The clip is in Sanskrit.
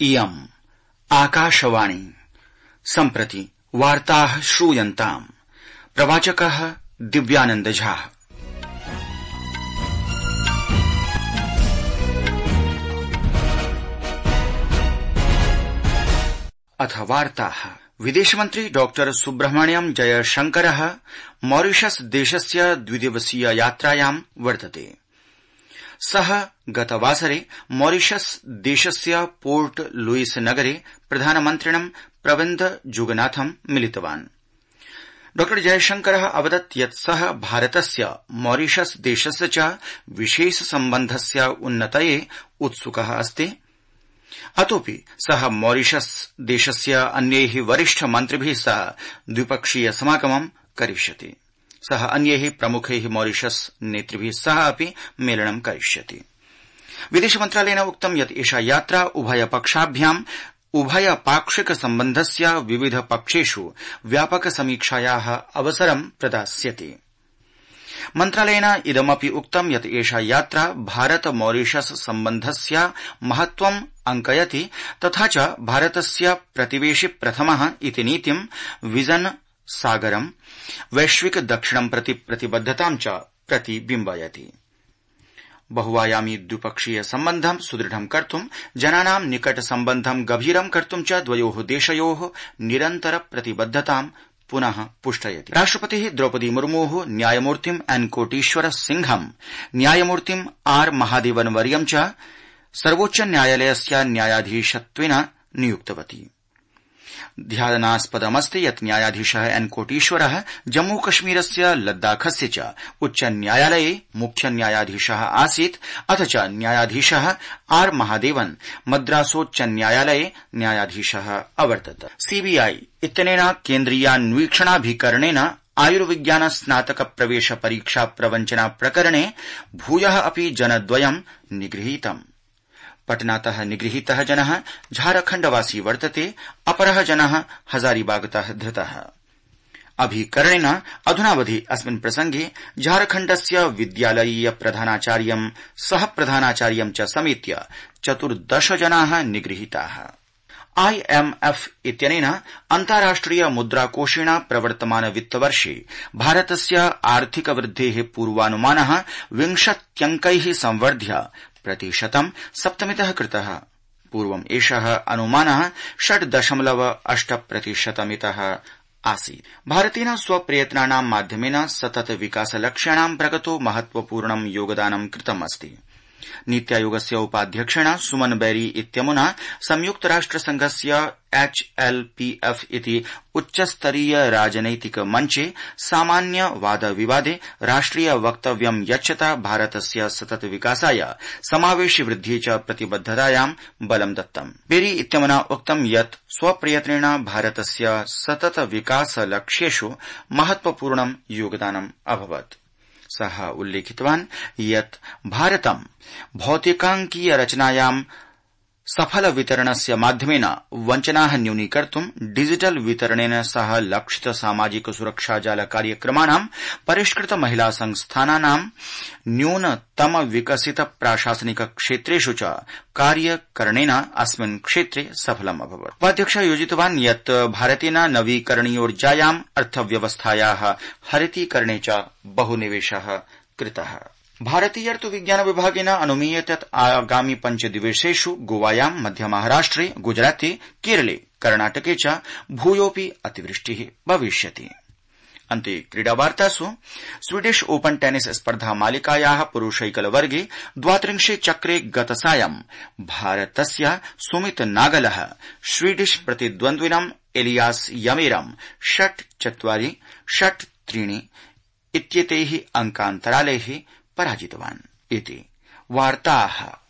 इयम् आकाशवाणी सम्प्रति वार्ताः श्रूयन्ताम्। प्रवाचकः दिव्यानंद झा। अथ वार्ताः। विदेशमन्त्री डॉक्टर सुब्रह्मण्यम जयशंकरः मॉरिशस देशस्य द्विदिवसीय यात्रायां वर्तते। सः गतवासरे मॉरिशस देशस्य पोर्ट लुइस नगरे प्रधानमन्त्रिणं प्रविन्द जुगनाथं मिलितवान्। डॉ जयशंकरः अवदत् यत् सः भारतस्य मॉरिशस देशस्य च विशेष सम्बन्धस्य उन्नतये उत्सुकः अस्ति। अतोऽपि सः मॉरिशस देशस्य अन्यैः वरिष्ठ मन्त्रिभिः सह द्विपक्षीय समागमं करिष्यति। सः अन्यैः प्रमुखैः मॉरिशस नेतृभिः सह अपि मेलनं करिष्यति। विदेश मन्त्रालयेन उक्तं यत् एषा यात्रा उभयपक्षाभ्याम् उभयपाक्षिक सम्बन्धस्य विविध पक्षेषु व्यापक समीक्षायाः अवसरं प्रदास्यति। मन्त्रालयेन इदमपि उक्तं यत् एषा यात्रा भारत मॉरिशस सम्बन्धस्य महत्त्वम् अङ्कयति तथा च भारतस्य प्रतिवेशि प्रथमः इति नीतिं विजन सागरं वैश्विक दक्षिणं प्रति प्रतिबद्धतां च प्रतिबिम्बयति। बहुआयामी द्विपक्षीय सम्बन्धं सुदृढं कर्तुं जनानां निकट सम्बन्धं गभीरं कर्तुं च द्वयोः देशयोः निरन्तर प्रतिबद्धतां पुनः पुष्टयति। राष्ट्रपतिः द्रौपदी मुर्मुः न्यायमूर्तिम् एन् कोटीश्वर सिंहं न्यायमूर्तिम् आर् महादेवन वर्यं च सर्वोच्च न्यायालयस्य न्यायाधीशत्वेन नियुक्तवती। ध्यानास्पदमस्ति यत् न्यायाधीशः एन् कोटीश्वरः जम्मूकश्मीरस्य लद्दाखस्य च उच्च न्यायालये मुख्य न्यायाधीशः आसीत् अथ च न्यायाधीशः आर् महादेवन मद्रासोच्च न्यायालये न्यायाधीशः अवर्तत। सीबीआई इत्यनेन केन्द्रीयान्वीक्षणाभिकरणेन आयुर्विज्ञान स्नातक प्रवेश परीक्षा प्रवञ्चना प्रकरणे भूयः अपि जनद्वयं निगृहीतम्। पटनातः निगृहीतः जनः झारखण्डवासी वर्तते, अपरः जनः हजारीबागतः धृतः। अभिकरणेन अधुनावधि अस्मिन् प्रसंगे झारखण्डस्य विद्यालयीय प्रधानाचार्यं सह प्रधानाचार्यं च समेत्य 14 जनाः निगृहीताः। IMF इत्यनेन अन्ताराष्ट्रिय मुद्राकोषेण प्रवर्तमान वित्तवर्षे भारतस्य आर्थिक वृद्धेः पूर्वानुमानः 20 अंकैः संवर्ध्य प्रतिशतं 7 कृतः। पूर्वम् एषः अनुमानः 6.8% आसीत्। भारतेन स्वप्रयत्नानां माध्यमेन सतत विकासलक्ष्याणां प्रगतो महत्वपूर्णं योगदानं कृतमस्ति। नीत्यायोगस्य उपाध्यक्षेण सुमन बैरी इत्यमुना संयुक्तराष्ट्रसंघस्य HLPF इति उच्चस्तरीय राजनैतिक मञ्चे सामान्य वाद विवादे राष्ट्रिय वक्तव्यं यच्छता भारतस्य सतत विकासाय समावेशि वृद्धि च प्रतिबद्धतायां बलं दत्तम्। बेरी इत्यमुना उक्तं यत् स्वप्रयत्नेन भारतस्य सतत विकास लक्ष्येषु महत्वपूर्णं योगदानम् अभवत्। सः उल्लेखितवान् यत् भारतं भौतिकांकीय रचनायां सफल वितरणस्य माध्यमेन वञ्चनाः न्यूनीकर्तुं डिजिटल वितरणेन सह लक्षित सामाजिक सुरक्षा जाल कार्यक्रमाणां परिष्कृत महिला संस्थानानां न्यूनतम विकसित प्राशासनिक क्षेत्रेषु च कार्यकरणेन अस्मिन् क्षेत्रे सफलम् अभवत्। उपाध्यक्षः योजितवान् यत् भारतेन नवीकरणीयोर्जायाम् अर्थव्यवस्थायाः हरितीकरणे च बहुनिवेशः कृतः। भारतीयर्तु विज्ञान विभागेन अनुमीयते यत् आगामि 5 दिवसेषु गोवायां मध्यमहाराष्ट्रे गुजराते केरले कर्णाटके च भूयोऽपि अतिवृष्टिः भविष्यति। अन्ते क्रीडावार्तासु स्वीडिश ओपन टेनिस स्पर्धा मालिकायाः पुरुषैकलवर्गे 32 चक्रे गतसायं भारतस्य सुमित नागलः स्वीडिश प्रतिद्वन्द्विनं एलियास यमेरं 6-4, 6-3 इत्येतैः अंकान्तरालैः पराजितवान्। इति वार्ताः।